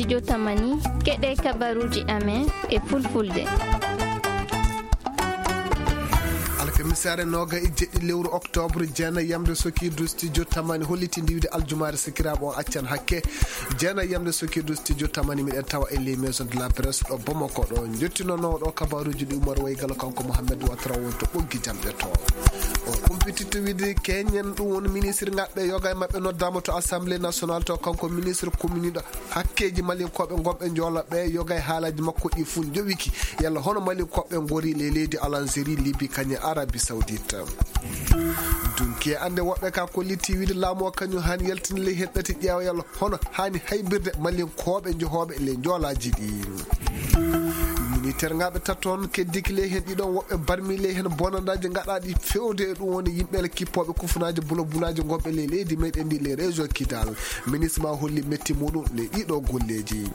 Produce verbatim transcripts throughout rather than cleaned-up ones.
Studio Tamani, keɗe kabaruji amen e fulfulde. Alkamisaare nooga e jeɗɗi lewru octobre, jeena yamde sokiidu studio Tamani holliti ndiwde aljumaare sikiraaɓe o accan hakke. Jeena yamde sokiidu studio Tamani miɗen tawa e les maisons de la presse ɗo Bamako ɗo. Jottinoono ɗo kabaruji ɗi Umar Waygalo kanko Mohamed Watra won to ɓoggi jamɗe to. O kumpititto wiide keñen ɗum won ministre ngaɓɓe yoga e maɓɓe noddaama to assemblée nationale to kanko ministre kuminiɗo hakkeeji malinkooɓe ngonɓe njoolaɓe yoga e haalaji makko ɗi fuu njowiki. Yalla hono malinkooɓe ngori le leydi Algérie, Libye, kañe Arabie Saoudite. Dunki e annde woɓɓe ka kolliti wiide laamu o kañum haani yaltinde ley hen ɗati ƴeewa yalla hono haani haybirde malinkooɓe jehooɓe le njoolaaji ɗi. Militaire ngaɓe taton keddiki ley hen ɗiɗon woɓɓe barmi ley hen bonandaaji gaɗaaɗi fewde e ɗum woni yimɓe le kippooɓe kufunaaji bulabulaaji ngonɓe ley leydi meɗen ndi le région Kidal. Ministre ma holli metti muɗum ley ɗiɗo golleeji.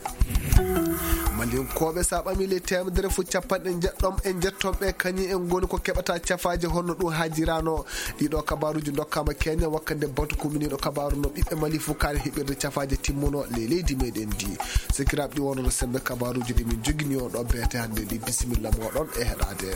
Malinkooɓe sa ɓami ley teemedere fof capanɗe jeɗɗon e jetton ɓe kañum en ngoni ko keɓata cafaaje honno ɗum haajirano. Ɗiɗo kabaruji dokkama keñen wakkande batu kuminiɗo kabaru no ɓiɓɓe Mali fof kaari heɓirde cafaaje timmuno ley leydi meɗen ndi. Sikiraaɓe ɗi wonno sembe kabaruji ɗi min jogini on ɗo beete hannde ndi bisimilla moɗon e heɗade.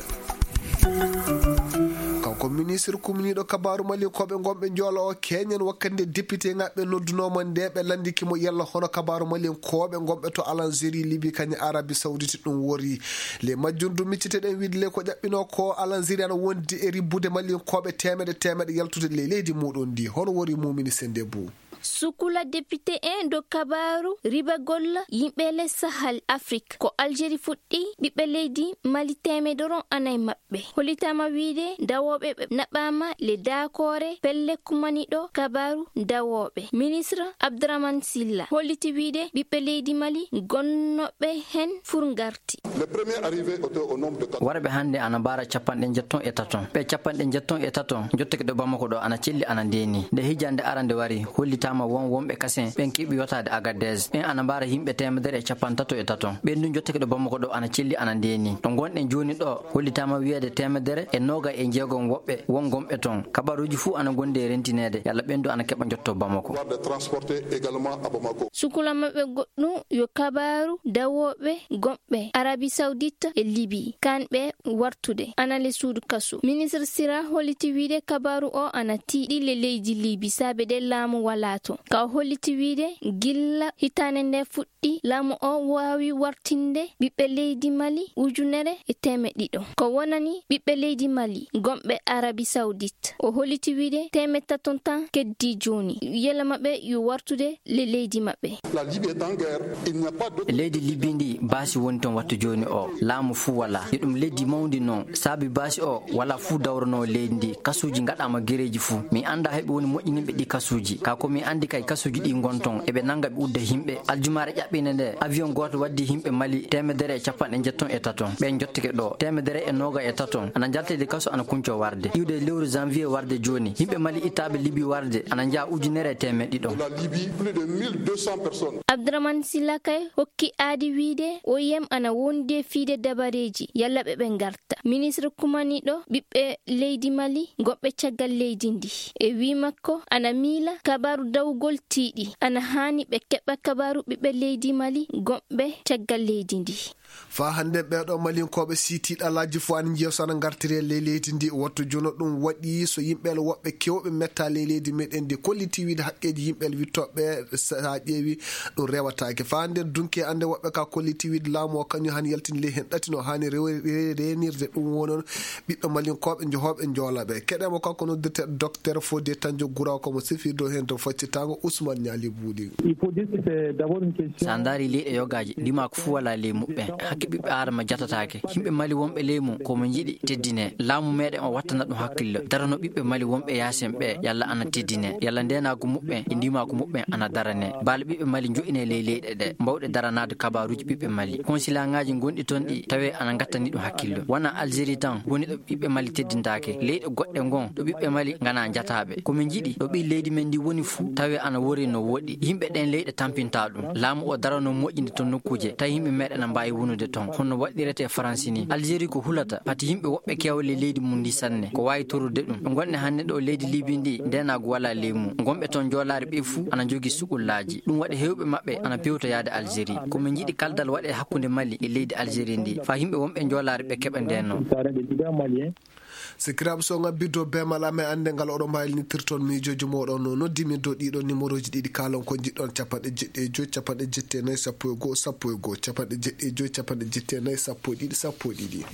Kanko ministre kuminiɗo kabaru malinkooɓe ngonɓe njoolo o keñen wakkande député ngaɓɓe noddunoma nde ɓe landiki mo yalla hono kabaru malinkooɓe ngonɓe to Algérie, Libye kañum Arabie Saoudite ɗum wori. Le majjum du micciteɗen wiide le ko ƴaɓɓino ko Algérie ana wondi e ribbude malinkooɓe temeɗe temeɗe yaltude le leydi muɗum ndi hono wori mumini sende bu. Sukula député en do kabaru riba golla yimɓe le Sahel Afrique ko Algérie fuɗɗi ɓiɓɓe leydi Mali temedoron anay maɓɓe. Hollitama wiide dawooɓe ɓe naɓɓama le dakoore pelle kumaniɗo kabaru dawooɓe. Ministre Abdourahmane Silla holliti wiide ɓiɓɓe leydi Mali gonnoɓe hen fur ngarti. Le premier arrivé était au nombre de quatre. Warɓe hannde ana mbaara capanɗe jetton e taton. Ɓe capanɗe jetton e taton jottake ɗo Bamako ɗo ana celli ana ndeeni. Nde hijande arande wari, hollitama won wonɓe kasen ɓen keɓi yotaade Agadez. Ɓen ana mbaara yimɓe teemedere e capantato e taton. Ɓen ɗum jottake ɗo Bamako ɗo ana celli ana ndeeni. Ɗo ngonɗen jooni ɗo, hollitama wiyeede teemedere e nooga e jeegom woɓɓe won gonɓe ton. Kabaruuji fuu ana gondi e rentineede, yalla ɓen ɗum ana keɓa jotto Bamako. War de transporter également à Bamako. Sukula maɓɓe goɗɗum yo kabaru dawooɓe gonɓe Arabie Saoudite e Libye, kanɓe wartude ana le suudu kasu. Ministre Sira holliti wiide kabaru o ana tiiɗi le leydi Libye saabe de laamu wala to. Ka o holliti wiide gilla hitande nde fuɗɗi, laamu o waawi wartinde ɓiɓɓe leydi Mali ujunere e teemeɗɗe ɗiɗo. Ko wonani ɓiɓɓe leydi Mali gonɓe Arabie Saoudite. O holliti wiide teemeɗɗe taton tan keddi jooni. Yela maɓɓe yo wartude le leydi maɓɓe. La Libye est en guerre, il n'y a pas d'autre. Leydi Libye ndi baasi woni ton wattu jooni o. Laamu fuu wala. Yo ɗum leydi mawndi non. Saabi baasi o wala fuu dawrono leydi ndi. Kasuuji ngaɗama gereeji fuu. Mi annda heɓe woni moƴƴininɓe ɗi kasuuji. Ka ko mi anndi kay kasuuji ɗi ngon ton. Eɓe nanga ɓe udda yimɓe. Aljumaare ƴaɓɓinde nde, avion gooto waddi yimɓe Mali teemedere e capanɗe jetton e taton. Ɓe jottike ɗo. Teemedere e nooga e taton. Ana jaltede kaso ana kunco warde. Iwde lewru janvier warde jooni. Yimɓe Mali ittaaɓe Libye warde. Ana njaa ujunere e teemeɗɗe ɗiɗo. La Libye, plus de mille deux cents personnes. Abdourahmane Silla kay hokki aadi wiide O I M ana wondi e fiide dabareeji yalla ɓe ɓe ngarta. Ministre kumaniɗo ɓiɓɓe leydi Mali goɗɓe caggal leydi ndi. E wii makko ana miila kabaru dawugol tiiɗi. Ana haani ɓe keɓa kabaru ɓiɓɓe leydi Mali goɗɓe caggal leydi ndi. Faa hannde ɓeeɗo Malinkooɓe si tiiɗi alaaji fof ana njiya so ana ngartiri e ley leydi ndi. Wattu jono ɗum waɗi so yimɓe woɓɓe kewɓe metta ley leydi meɗen ndi kolliti wiide haqqeeji yimɓe wittooɓe sa ƴeewi ɗum rewataake. Faa hannde dunke annde woɓɓe ka kolliti wiide laamu o kañum haani yaltinde ley heen ɗati no haani rewe-, re-, reenirde ɗum wonon ɓiɓɓe Malinkooɓe johooɓe njoolaɓe. Keɗeemo kanko noddirte Docteur Fodé Tanjo Guraw ko mo sifirdo heen to faccitango Ousmane Niali Buuli. Il faut dire que c'est d'abord une question. Sa ndaari leyɗe yogaaji, ndimaaku fuu walaa ley muɓɓen. Hakke ɓiɓɓe Aadama jatataake. Yimɓe Mali wonɓe ley mum, ko mo njiɗi teddine. Laamu meɗen o wattana ɗum hakkillo. Darano ɓiɓɓe Mali wonɓe yaasen ɓe, yalla ana teddine. Yalla ndeenaagu muɓɓen e ndimaaku muɓɓen ana darane. Baale ɓiɓɓe Mali njo'ine ley leyɗe ɗe. Mbawɗe daranaade kabaaruuji ɓiɓɓe Mali. Konsilaaŋaaji gonɗi ton ɗi tawee ana ngattani ɗum hakkillo. Wona Algérie tan woni ɗo ɓiɓɓe Mali teddintaake. Leyɗe goɗɗe ngon ɗo ɓiɓɓe Mali ngana jataaɓe. Ko min njiɗi ɗo ɓii leydi men ndi woni fuu tawi ana wori no woɗi. Yimɓe ɗen leyɗe tampinta ɗum. Laamu o darano moƴƴinde ton nokkuuje, tawi yimɓe meɗen na mbaawi wonude ton. Hono waɗirete e Faransi ni. Algérie ko hulata, pati yimɓe woɓɓe keewa ley leydi mum ndi sanne. Ko waawi torrude ɗum. Ɓe ngonɗen hannde ɗo leydi Libi ndi, ndeenaagu walaa ley mum. Ngonɓe ton joolaare ɓe fuu ana njogii suɓullaaji. Ɗum waɗi heewɓe maɓɓe ana pewta yaade Algérie. Ko min njiɗi kaldal waɗe hakkunde Mali e leydi Algérie ndi, faa yimɓe wonɓe joolaare ɓe keɓa ndeenoo. Sikiraaɓe, so ngabbiddo be mala men annde ngal oɗo mbaylitirton miijooji mooɗon no noddi min dow ɗiɗo numéroji ɗiɗi kaalon ko njiɗɗon, capanɗe jeɗɗi e joy, capanɗe jeɗɗi e nayi, sappo e goo, sappo e goo, capanɗe jeɗɗi e joy, capanɗe jeɗɗi e nayi, sappo e ɗiɗi, sappo e ɗiɗi.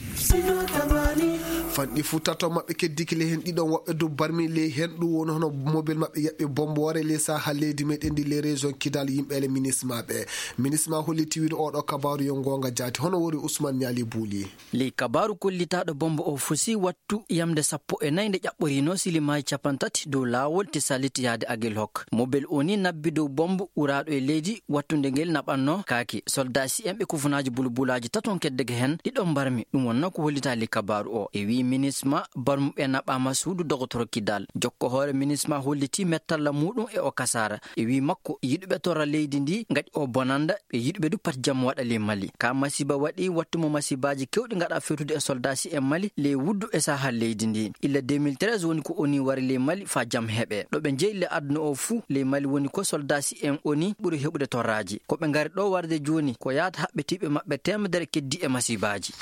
Fanɗi fu tato maɓɓe keddiki ley hen ɗiɗon woɓɓe dow barmi ley hen ɗum woni hono mobile maɓɓe yaɓɓi bomboore ley saha leydi meɗen ndi ley région Kidal yimɓe ele minisma ɓe. Minisma holli tiwiɗo oɗo kabaru yo ngonga jaati hono wori Ousmane Niali Bouli. Ley kabaaru kollitaaɗo bombo o fusi wattu yamde sappo e nayi nde ƴaɓɓoriino silimaaji capantati dow laawol Tisalit yaade Agilhok. Mobel o ni nabbi dow bombo uraaɗo e leydi wattunde ngel naɓannoo kaake. Soldaasi en ɓe kufunaaji bulbulaaji taton keddege hen ɗiɗon mbarmi. Ɗum wonnoo ko hollitaa ley kabaaru o. E wii minisma barmuɓe naɓaama suudu dogotoro Kidal. Jokko hoore minisma hollitii mettalla muuɗum e o kasaara. E wii makko yiɗuɓe torra leydi ndi ngaɗi o bonanda. Ɓe yiɗuɓe du pati jam waɗa ley Mali. Ka masiba waɗi wattu mo masibaaji kewɗi ngaɗa fewtude e soldaasi en Mali ley wuddu e saha leydi ndi. Illa deux mille treize woni ko oni wari ley Mali faa jam heɓe. Ɗo ɓe jeyi le aduna o fuu ley Mali woni ko soldaasi en oni ɓuri heɓude torraaji. Ko ɓe ngari ɗo warde jooni ko yaata haɓɓitiiɓe maɓɓe teemedere keddi e masibaaji.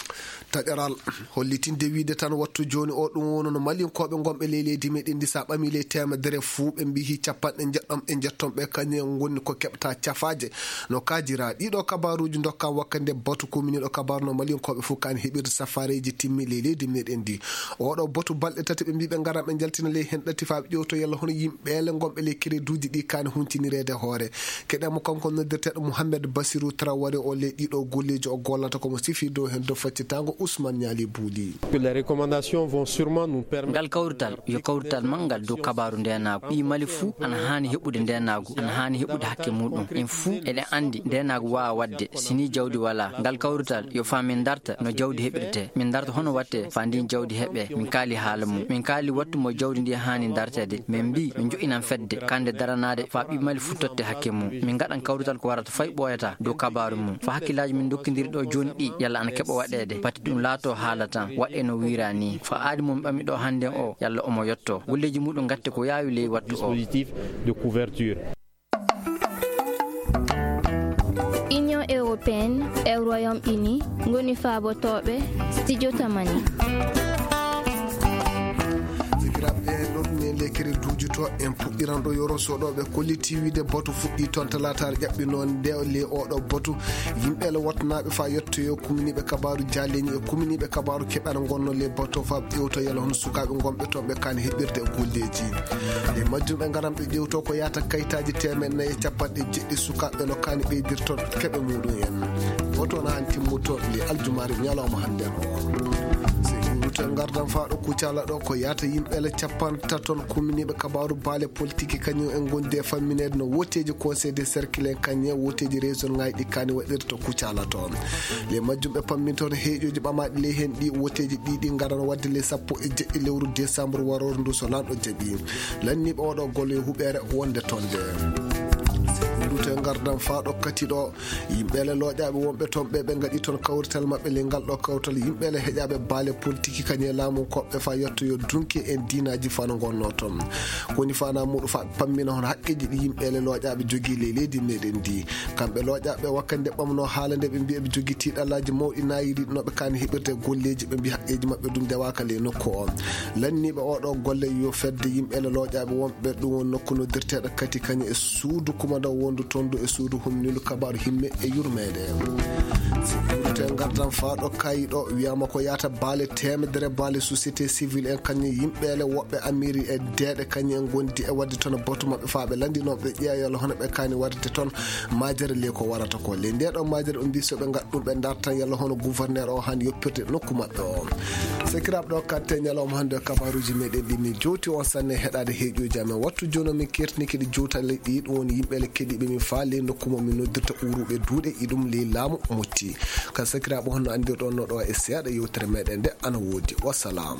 Taƴaral hollitinde wiide tan wattu jooni o ɗum woni no Malinkooɓe ngonɓe ley leydi meɗen ndi sa ɓami ley teemedere fuu ɓe mbihi capanɗe njeɗɗon e njetton ɓe kañum en ngoni ko keɓta cafaaje. No kaajira ɗiɗo kabaaruuji ndokka wakkande batu kominiiɗo kabaaru no Malinkooɓe fuu kaani heɓirde safaareeji timmi ley leydi meɗen ndi. Oɗo batu balɗe tati ɓe mbi ɓe ngaran ɓe njaltina ley hen ɗati faa ɓe ƴewto yalla hono yimɓe ele ngonɓe ley kereduuji ɗi kaani huntinireede hoore. Keɗen mo kanko noddirteeɗo Mouhamed Bassirou Traoré o ley ɗiɗo golleeji o gollata ko mo sifi dow hen dow faccitango Ousmane Niali Bouli. Que les recommandations vont sûrement nous permettre. Ngal kawrital yo kawrital manngal dow kabaaru ndeenaagu. Ɓii Mali fuu ana haani heɓude ndeenaagu, ana haani heɓude hakke muuɗum. En fuu eɗen anndi ndeenaagu waawa waɗde si ni jawdi walaa. Ngal kawrital yo faa min darta no jawdi heɓirtee. Min darta hono waɗtee faa ndin jawdi heɓee. Min kaali haala mum. Min kaali wattu mo jawdi ndi haani darteede. Min mbii min jo'inan fedde kannde daranaade faa ɓii Mali fuu totte hakke mum. Min ngaɗan kawrital ko warata fay ɓooyata dow kabaaru mum. Faa hakkillaaji min ndokkindiri ɗo jooni ɗi yalla ana keɓa waɗeede. Pati ɗum laatoo haala tan waɗee no wiiraa ni. Faa aadi mo mi ɓami ɗo hannden o yalla omo yottoo. Golleeji muuɗum ngatte ko yaawi ley wattu o. Dispositif de couverture. Union européenne e Royaume-Uni ngoni faabotooɓe studio Tamani. Sikiraaɓe, ɗo ɗum en lekkere duujuto en puɗɗiran ɗo yoro soɗoɓe kolliti wiide boto fuɗɗi toon talaataare ƴaɓɓinoo nde le oɗo boto yimɓe le wottanaaɓe faa yettoyo kuminiiɓe kabaaru jaaleñi e kuminiiɓe kabaaru keɓal ngonno le boto faa ƴewto yalla hono sukaaɓe ngonɓe toon ɓe kaani heɓirde e golleeji. Nde majjum ɓe ngaran ɓe ƴewto ko yaata kayitaaji teemeɗɗe nayi e capanɗe jeɗɗi sukaaɓe no kaani ɓeydirto keɓe muɗum en. Woto na han timmuto le aljumaare ñalawma hannden o. Sey ɗum rute ngardan faa ɗo Kucala ɗo ko yaata yimɓe le capantaton kuminiiɓe kabaaru baale politique kañum en ngondi e fammineede no woteeji conseil de cercle en kañum en woteeji région ŋaaji ɗi kaani waɗirta Kucala toon. Le majjum ɓe pammintoon heeƴooji ɓamaaɗi ley heen ɗi woteeji ɗi ɗi ngarano waɗde le sappo e jeɗɗi lewru décembre waroore ndu so lanɗo jaɓi. Lanniiɓe oɗo golle huɓeere wonde toon nde. Ndute ngardan faa ɗo kati ɗo yimɓe le looƴaaɓe wonɓe toon ɓe ɓe ngaɗi toon kawrital maɓɓe le ngal ɗo kawtal yimɓe le heƴaaɓe baale politique kañe laamu koɓɓe faa yettoyo dunke en diinaaji faa no ngonnoo toon. Koni faanaa muɗum faa pammina hono haqqeeji ɗi yimɓe le looƴaaɓe jogii ley leydi meɗen ndi. Kamɓe looƴaaɓe wakkande ɓamnoo haala nde ɓe mbiya ɓe jogii tiiɗallaaji mawɗi naayiri no ɓe kaani heɓirde golleeji ɓe mbiya haqqeeji maɓɓe ɗum ndewaaka ley nokku o. Lanniiɓe oɗo golle yo fedde yimɓe le looƴaaɓe wonɓe ɗum won nokku noddirteeɗo kati kañum e suudu kumandaw wondu toon du e suudu humnindu kabaaru himme e yurmeende. Yurte ngardan faa ɗo kayi ɗo wiyama ko yaata baale teemedere baale société civile en kañum yimɓe le woɓɓe amiri e deeɗe kañum en gondi e waɗde toon batu maɓɓe faa ɓe lanndinoo ɓe ƴeewa yalla hono ɓe kaani waɗde toon majere le ko warata ko le nde ɗo majere o mbi so ɓe ngaɗ ɗum ɓe ndartan yalla hono gouverneur o han yoppirde nokku maɓɓe o. Sekiraaɓe ɗo katte ñalawma hannde o kabaaruuji meɗen ɗi min jowti on sanne heɗaade heeƴuuji amen wattu jooni o min kertini kadi jowtale ɗi ɗum woni yimɓe le keɗiiɓe min faa ley nokku mo min noddirta uruɓe duuɗe iɗum ley laamu motti. Ka sekiraaɓe honno anndirɗon no ɗo e seeɗa yewtere meɗen nde ana woodi. Wassalam.